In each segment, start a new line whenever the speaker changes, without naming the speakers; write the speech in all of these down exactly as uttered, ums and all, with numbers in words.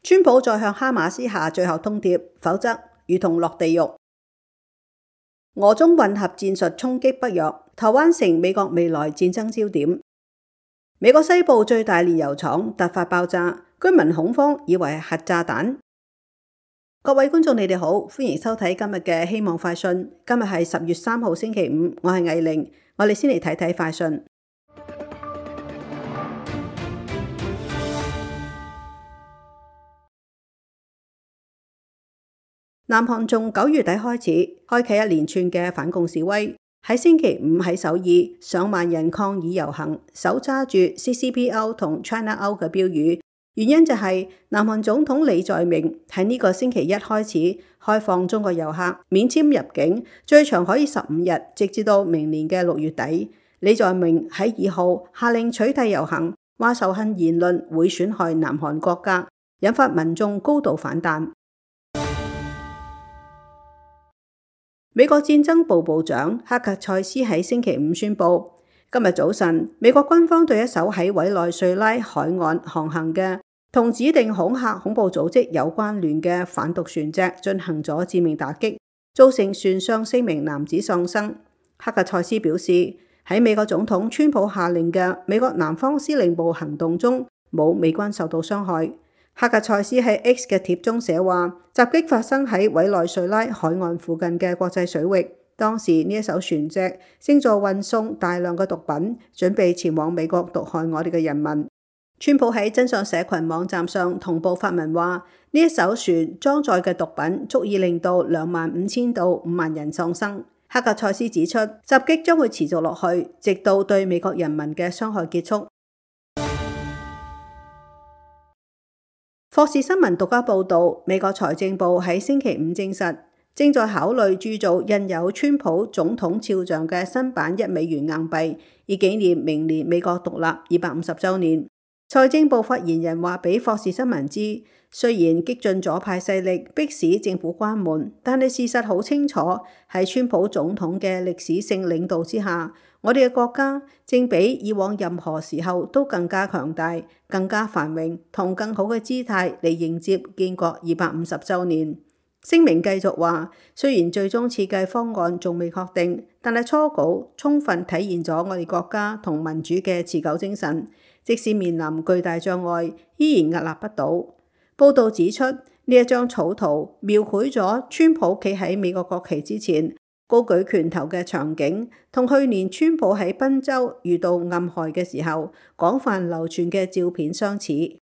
川普再向哈馬斯下最後通牒，否則如同落地獄。俄中混合戰術衝擊北約，台灣成美國未來戰爭焦點。美國西部最大煉油廠突發爆炸，居民恐慌，以為係核炸彈。各位觀眾，你哋好，歡迎收睇今日嘅希望快訊。今日係十月三號星期五，我係藝玲，我哋先嚟睇睇快訊。南韓從九月底開始開啟一連串嘅反共示威，喺星期五喺首爾，上萬人抗議遊行，手揸住 C C P O 同 China Out 嘅標語，原因就係南韓總統李在明喺呢個星期一開始開放中國遊客免簽入境，最長可以十五日，直至到明年嘅六月底。李在明喺二號下令取締遊行，話仇恨言論會損害南韓國家，引發民眾高度反彈。美國戰爭部部長克格塞斯喺星期五宣布，今日早晨美國軍方對一艘喺委內瑞拉海岸航行嘅同指定恐嚇恐怖組織有關聯嘅販毒船隻進行咗致命打擊，造成船上四名男子喪生。克格塞斯表示，喺美國總統川普下令嘅美國南方司令部行動中，冇美軍受到傷害。克格塞斯喺 X 嘅貼中寫話，襲擊發生喺委內瑞拉海岸附近嘅國際水域，當時呢一艘船隻正在運送大量嘅毒品，準備前往美國毒害我哋嘅人民。川普喺真相社群網站上同步發文話，呢一艘船裝載嘅毒品足以令到兩萬五千到五萬人喪生。克格塞斯指出，襲擊將會持續落去，直到對美國人民嘅傷害結束。霍士新聞獨家報導，美國財政部喺星期五證實，正在考慮鑄造印有川普總統肖像嘅新版一美元硬幣，以紀念明年美國獨立二百五十週年。財政部發言人話俾霍士新聞知，雖然激進左派勢力迫使政府關門，但係事實好清楚，喺川普總統嘅歷史性領導之下，我哋嘅國家正比以往任何時候都更加強大、更加繁榮同更好嘅姿態嚟迎接建國二百五十週年。聲明繼續話，雖然最終設計方案仲未確定，但係初稿充分體現咗我哋國家同民主嘅持久精神，即使面臨巨大障礙，依然屹立不倒。報道指出，呢一張草圖描繪咗川普企喺美國國旗之前，高舉拳頭嘅場景，同去年川普喺賓州遇到暗害嘅時候廣泛流傳嘅照片相似。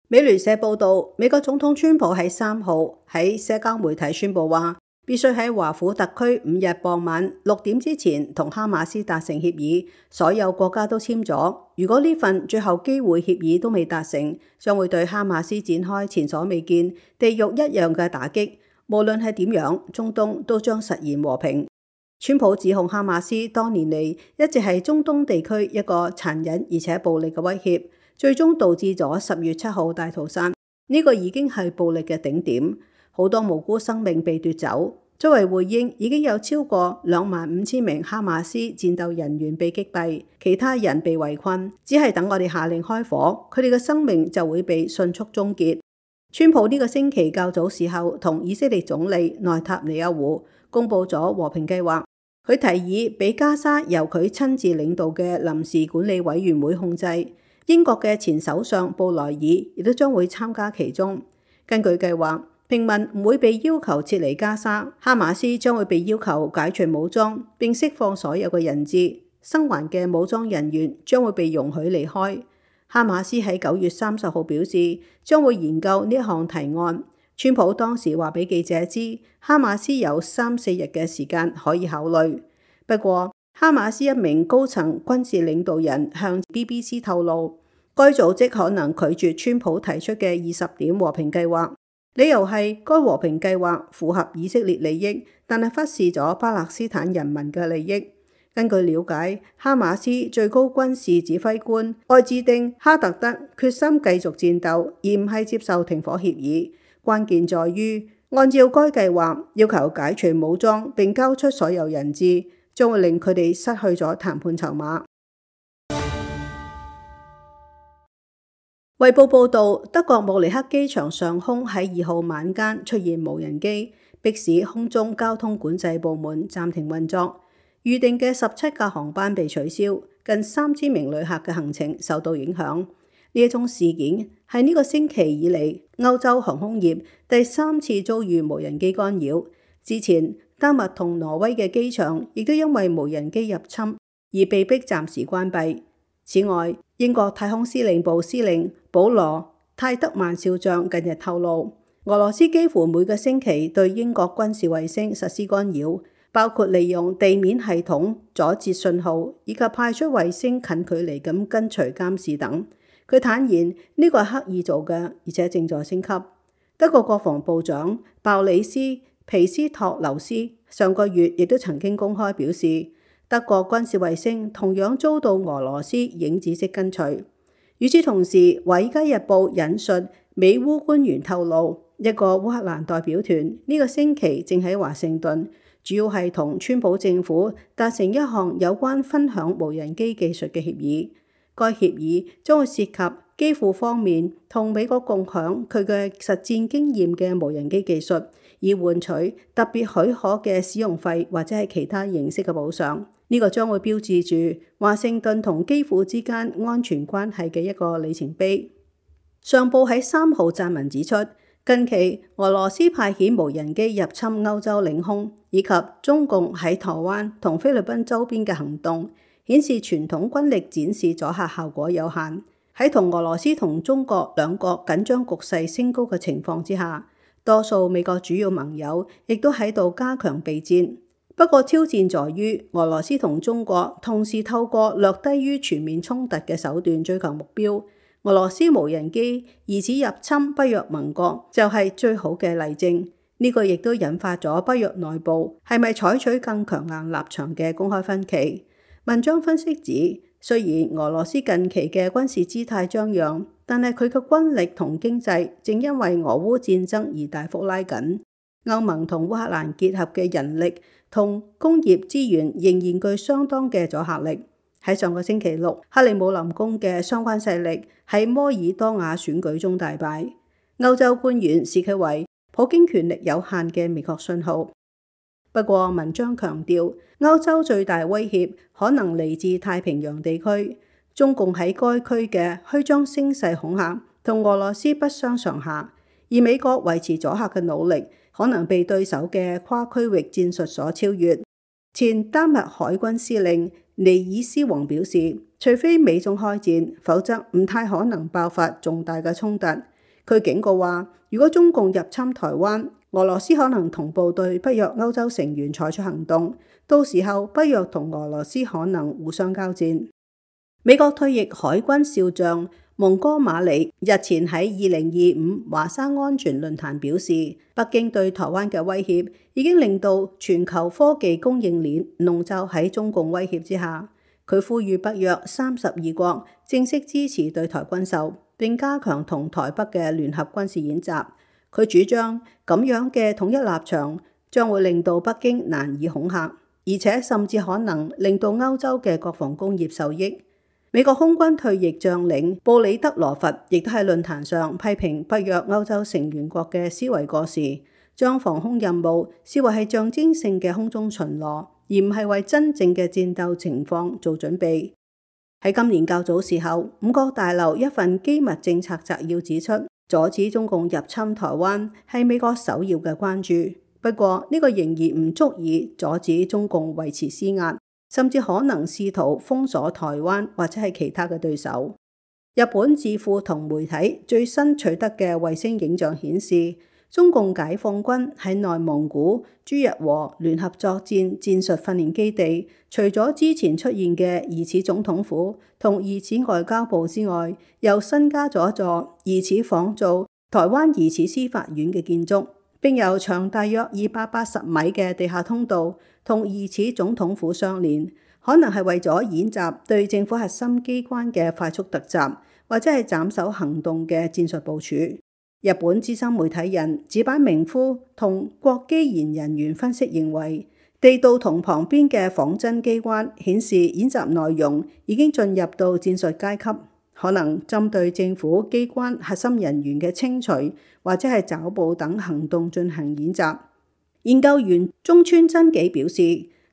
美聯社報道，美國總統川普喺三號喺社交媒體宣布話，必須喺華府特區五日傍晚六點之前同哈馬斯達成協議，所有國家都簽咗。如果呢份最後機會協議都未達成，將會對哈馬斯展開前所未見、地獄一樣嘅打擊。無論係點樣，中東都將實現和平。川普指控哈馬斯多年嚟一直係中東地區一個殘忍而且暴力嘅威脅，最終導致咗十月七號大屠殺。呢個已經係暴力嘅頂點。好多無辜生命被奪走。作為回應，已經有超過兩萬五千名哈馬斯戰鬥人員被擊斃，其他人被圍困，只係等我哋下令開火，佢哋嘅生命就會被迅速終結。川普呢個星期較早時候同以色列總理內塔尼亞胡公佈咗和平計劃，佢提議俾加沙由佢親自領導嘅臨時管理委員會控制，英國嘅前首相布萊爾亦都將會參加其中。根據計劃，平民唔會被要求撤離加沙，哈馬斯將會被要求解除武裝並釋放所有嘅人質，生還嘅武裝人員將會被容許離開。哈馬斯喺九月三十號表示將會研究呢一項提案。川普當時話俾記者知，哈馬斯有三四日嘅時間可以考慮。不過，哈馬斯一名高層軍事領導人向 B B C 透露，該組織可能拒絕川普提出嘅二十點和平計劃。理由係該和平計劃符合以色列利益，但係忽視咗巴勒斯坦人民嘅利益。根據了解，哈馬斯最高軍事指揮官愛茲丁哈特德決心繼續戰鬥，而唔係接受停火協議。關鍵在於按照該計劃，要求解除武裝並交出所有人質，將會令佢哋失去咗談判籌碼。衛報報導，德國慕尼黑機場上空喺二號晚間出現無人機，迫使空中交通管制部門暫停運作，預定嘅十七架航班被取消，近三千名旅客嘅行程受到影響。呢一宗事件係呢個星期以嚟歐洲航空業第三次遭遇無人機干擾。之前丹麥同挪威嘅機場亦都因為無人機入侵而被迫暫時關閉。此外，英國太空司令部司令保羅泰德曼少將近日透露，俄羅斯幾乎每個星期對英國軍事衛星實施干擾，包括利用地面系統阻截信號，以及派出衛星近距離咁跟隨監視等。佢坦言呢個係刻意做嘅，而且正在升級。德國國防部長鮑里斯皮斯托留斯上個月亦都曾經公開表示，德國軍事衛星同樣遭到俄羅斯影子式跟隨。與此同時，《華爾街日報》引述美烏官員透露，一個烏克蘭代表團呢個星期正喺華盛頓，主要係同川普政府達成一項有關分享無人機技術嘅協議。該協議將會涉及基輔方面同美國共享佢嘅實戰經驗嘅無人機技術，以換取特別許可嘅使用費或者係其他形式嘅補償。呢個將會標誌住華盛頓同基輔之間安全關係嘅一個里程碑。上報喺三號撰文指出，近期俄羅斯派遣無人機入侵歐洲領空，以及中共喺台灣同菲律賓周邊嘅行動，顯示傳統軍力展示阻嚇效果有限。喺同俄羅斯同中國兩國緊張局勢升高嘅情況之下，多數美國主要盟友亦都喺度加強備戰。不過挑戰在於俄羅斯同中國同時透過略低於全面衝突嘅手段追求目標。俄羅斯無人機疑似入侵北約盟國就係最好嘅例證。呢個亦都引發咗北約內部係咪採取更強硬立場嘅公開分歧。文章分析指，雖然俄羅斯近期嘅軍事姿態張揚，但係佢嘅軍力同經濟正因為俄烏戰爭而大幅拉緊。歐盟同烏克蘭結合嘅人力同工業資源仍然具相當嘅阻嚇力。喺上個星期六，克里姆林宮嘅相關勢力喺摩爾多瓦選舉中大敗。歐洲官員視佢為普京權力有限嘅明確信號。不過文章強調，歐洲最大威脅可能嚟自太平洋地區，中共喺該區嘅虛張聲勢恐嚇同俄羅斯不相上下，而美國維持阻嚇嘅努力可能被對手嘅跨區域戰術所超越。前丹麥海軍司令尼爾斯王表示，除非美中開戰，否則唔太可能爆發重大嘅衝突。佢警告話，如果中共入侵台灣，俄羅斯可能同步對北約歐洲成員採取行動，到時候北約同俄羅斯可能互相交戰。美國退役海軍少將蒙哥馬里日前喺二零二五華沙安全論壇表示，北京對台灣嘅威脅已經令到全球科技供應鏈籠罩喺中共威脅之下。佢呼籲北約三十二國正式支持對台軍售，並加強同台北嘅聯合軍事演習。佢主張咁樣嘅統一立場將會令到北京難以恐嚇，而且甚至可能令到歐洲嘅國防工業受益。美國空軍退役將領布里德羅佛亦都喺論壇上批評北約歐洲成員國嘅思維過時，將防空任務視為係象徵性嘅空中巡邏，而唔係為真正嘅戰鬥情況做準備。喺今年較早時候，五角大樓一份機密政策摘要指出，阻止中共入侵台灣係美國首要嘅關注。不過呢個仍然唔足以阻止中共維持施壓，甚至可能試圖封鎖台灣或者係其他嘅對手。日本智庫同媒體最新取得嘅衛星影像顯示，中共解放軍喺內蒙古朱日和聯合作戰戰術訓練基地，除咗之前出現嘅疑似總統府同疑似外交部之外，又新加咗一座疑似仿造台灣疑似司法院嘅建築，並由長大約二百八十米嘅地下通道同疑似總統府相連，可能係為咗演習對政府核心機關嘅快速突襲，或者係斬首行動嘅戰術部署。日本資深媒體人寺坂明夫同國基研人員分析認為，地道同旁邊嘅仿真機關顯示演習內容已經進入到戰術階級。可能針對政府機關核心人員嘅清除或者係抓捕等行動進行演習。研究員中村真紀表示，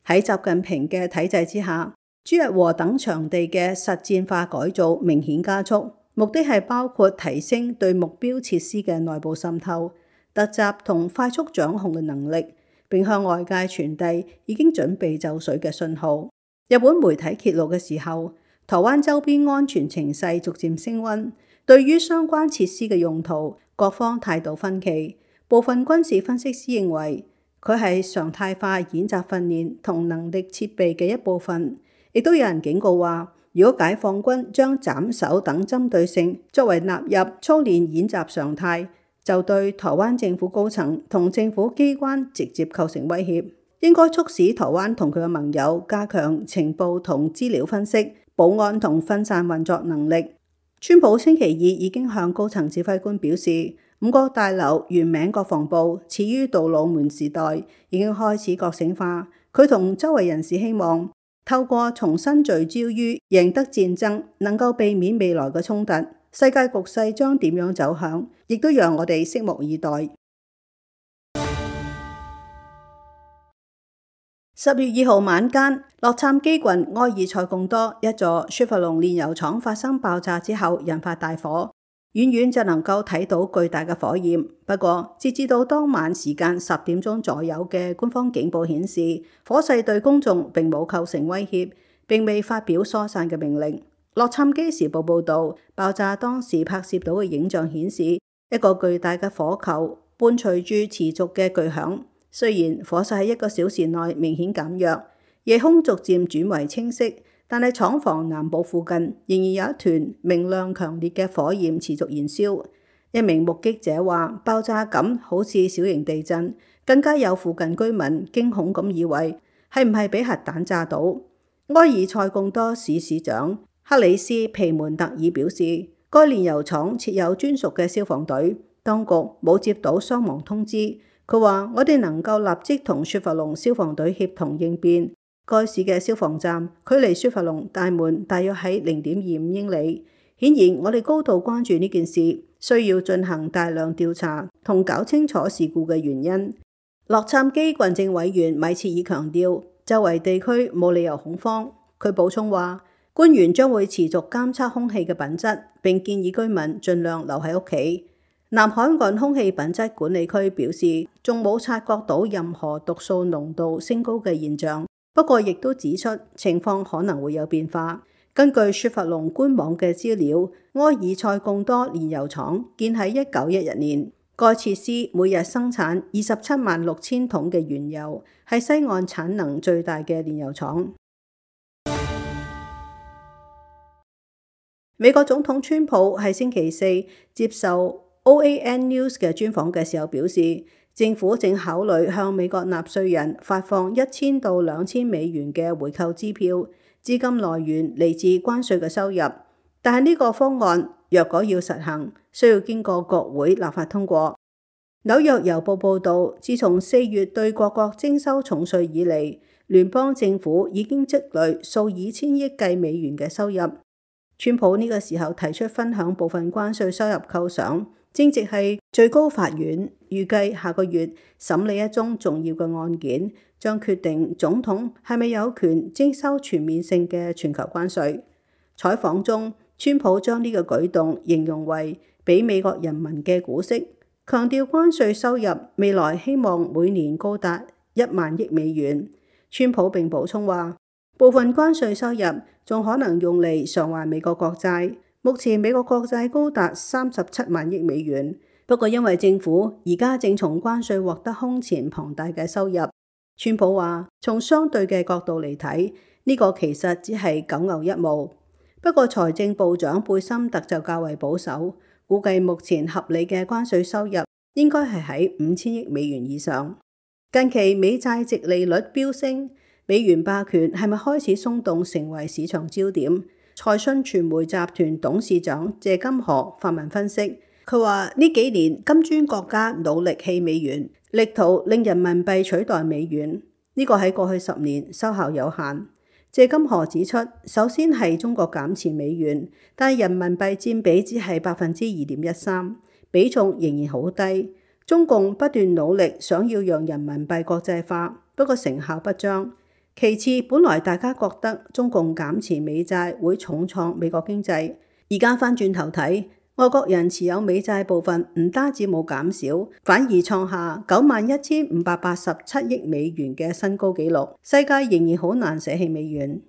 喺習近平嘅體制之下，朱日和等場地嘅實戰化改造明顯加速，目的係包括提升對目標設施嘅內部滲透、突襲同快速掌控嘅能力，並向外界傳遞已經準備就緒嘅信號。日本媒體揭露嘅時候，台灣周邊安全情勢逐漸升溫，對於相關設施嘅用途，各方態度分歧。部分軍事分析師認為，佢係常態化演習訓練同能力設備嘅一部分。亦都有人警告話，如果解放軍將斬首等針對性作為納入操練演習常態，就對台灣政府高層同政府機關直接構成威脅。應該促使台灣同佢嘅盟友加強情報同資料分析、保安同分散運作能力。川普星期二已經向高層指揮官表示，五角大樓原名國防部始於杜魯門時代，已經開始覺醒化。佢同周圍人士希望透過重新聚焦於贏得戰爭，能夠避免未來嘅衝突。世界局勢將點樣走向，亦都讓我哋拭目以待。十月二號晚間，洛杉磯郡埃爾塞貢多一座雪佛龍煉油廠發生爆炸之後，引發大火，遠遠就能夠睇到巨大嘅火焰。不過，截至到當晚時間十點鐘左右嘅官方警報顯示，火勢對公眾並冇構成威脅，並未發表疏散嘅命令。洛杉磯時報報導，爆炸當時拍攝到嘅影像顯示，一個巨大嘅火球伴隨住持續嘅巨響。雖然火勢喺一個小時內明顯減弱，夜空逐漸轉為清晰，但係廠房南部附近仍然有一團明亮強烈嘅火焰持續燃燒。一名目擊者話，爆炸感好似小型地震，更加有附近居民驚恐咁以為係唔係俾核彈炸到。埃爾塞貢多市市長克里斯皮門特爾表示，該煉油廠設有專屬嘅消防隊，當局冇接到傷亡通知。佢話：我哋能夠立即同雪佛龍消防隊協同應變。該市嘅消防站距離雪佛龍大門大約喺零點二五英里。顯然，我哋高度關注呢件事，需要進行大量調查同搞清楚事故嘅原因。洛杉磯郡政委員米切爾強調，周圍地區冇理由恐慌。佢補充話，官員將會持續監測空氣嘅品質，並建議居民盡量留喺屋企。南海岸空氣品質管理區表示，仲冇察覺到任何毒素濃度升高嘅現象，不過亦都指出情況可能會有變化。根據雪佛龍官網嘅資料，埃爾塞貢多煉油廠建喺一九一一年，該設施每日生產二十七萬六千桶嘅原油，係西岸產能最大嘅煉油廠。美國總統川普喺星期四接受O A N News 嘅專訪嘅時候表示，政府正考慮向美國納稅人發放一千到兩千美元嘅回購支票，資金來源嚟自關稅嘅收入。但係呢個方案若果要實行，需要經過國會立法通過。紐約郵報報導，自從四月對各國徵收重稅以嚟，聯邦政府已經積累數以千億計美元嘅收入。川普呢個時候提出分享部分關稅收入扣賞，正值係最高法院預計下個月審理一宗重要嘅案件，將決定總統係咪有權徵收全面性嘅全球關稅。採訪中，川普將呢個舉動形容為俾美國人民嘅股息，強調關稅收入未來希望每年高達一萬億美元。川普並補充話，部分關稅收入仲可能用嚟償還美國國債，目前美國國債高達三十七萬億美元。不過因為政府而家正從關稅獲得空前龐大嘅收入，川普話從相對嘅角度嚟睇，呢個其實只係九牛一毛。不過財政部長貝森特就較為保守，估計目前合理嘅關稅收入應該係喺五千億美元以上。近期美債殖利率飆升，美元霸權係咪開始鬆動成為市場焦點？財訊傳媒集團董事長謝金河發文分析，佢話呢幾年金磚國家努力棄美元，力圖令人民幣取代美元，呢個喺過去十年收效有限。謝金河指出，首先係中國減持美元，但人民幣佔比只係百分之二點一三，比重仍然好低。中共不斷努力想要讓人民幣國際化，不過成效不彰。其次，本來大家覺得中共減持美債會重創美國經濟，而家翻轉頭睇，外國人持有美債部分唔單止冇減少，反而創下九萬一千五百八十七億美元嘅新高紀錄。世界仍然好難捨棄美元。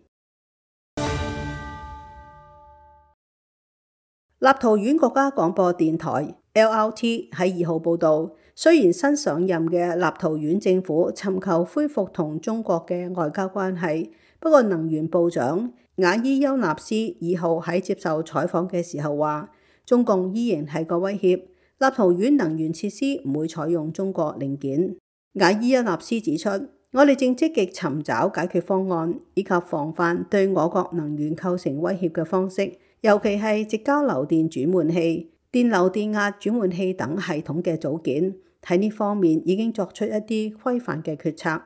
立陶宛國家廣播電台 L R T 喺二號報導，雖然新上任嘅立陶宛政府尋求恢復同中國嘅外交關係，不過能源部長瓦伊丘納斯二號喺接受採訪嘅時候話，中共依然係個威脅，立陶宛能源設施唔會採用中國零件。瓦伊丘納斯指出，我哋正積極尋找解決方案，以及防範對我國能源構成威脅嘅方式，尤其係直交流電轉換器、電流電壓轉換器等系統嘅組件。喺呢方面已經作出一啲規範嘅決策。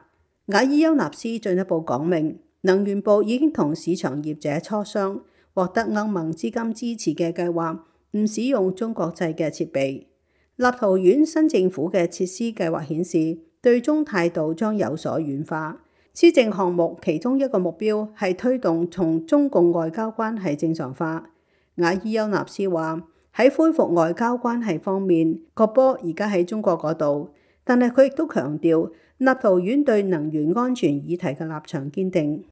瓦伊丘納斯進一步講明，能源部已經同市場業者磋商，獲得歐盟資金支持嘅計劃，唔使用中國製嘅設備。立陶宛新政府嘅設施計劃顯示，對中態度將有所軟化。施政項目其中一個目標係推動從中共外交關係正常化。瓦伊丘納斯話，喺恢復外交關係方面，個波而家喺中國嗰度，但係佢亦都強調立陶宛對能源安全議題嘅立場堅定。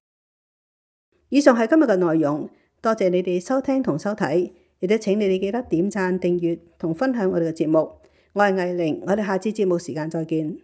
以上係今日嘅內容，多謝你哋收聽同收睇，亦都請你哋記得點讚、訂閱同分享我哋嘅節目。我係藝玲，我哋下次節目時間再見。